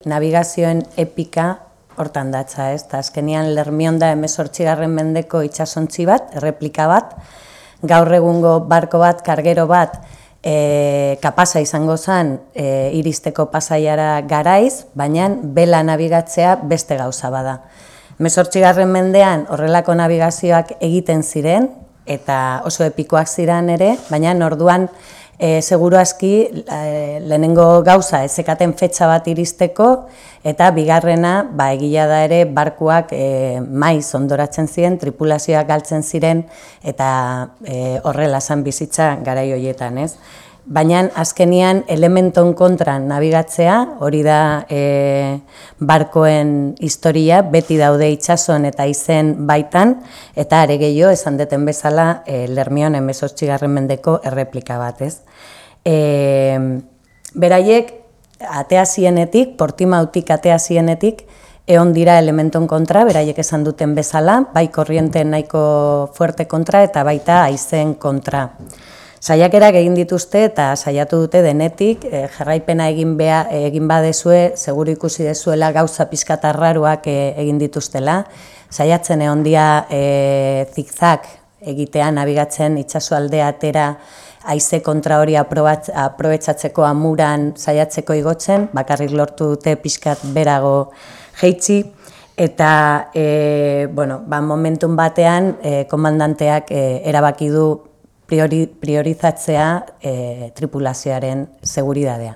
Navigazioen epika hortan datza, ez? Ta azkenian Lermion da 18. mendeko itsasontzi bat, erreplika bat, gaur egungo barko bat, kargero bat, kapasa izango zen iristeko pasaiara Garaiz, baina bela nabigatzea beste gauza bada. 18. mendean horrelako navigazioak egiten ziren, eta oso epikoak ziren ere, baina orduan seguru aski lehenengo gauza ezekaten fetxa bat iristeko, eta bigarrena egia da ere barkuak maiz ondoratzen ziren, tripulazioak galtzen ziren, eta horrela zan bizitza garai horietan, ez? Baina azkenian elementon kontra nabigatzea, hori da barkoen historia, beti daude itsasoan eta izen baitan, eta are gehiago esan deten bezala Lermion 18. mendeko erreplika bat, ez? Beraiek atea zienetik, Portimautik atea zienetik, egon dira elementon kontra, beraiek esan duten bezala, bai korrienten nahiko fuerte kontra eta baita haizen kontra. Saiakerak egin dituzte eta saiatu dute denetik, jarraipena egin badezue, seguru ikusi dezuela gauza pixkat arraruak egin dituztela. Saiatzen egon dira zigzag egitea, nabigatzen itsasoalde atera haize kontra hori aprobetxatzeko amuran saiatzeko igotzen, bakarrik lortu dute pixkat berago jeitsi, eta momentun batean komandanteak erabaki du priorizatzea tripulazioaren seguridadea.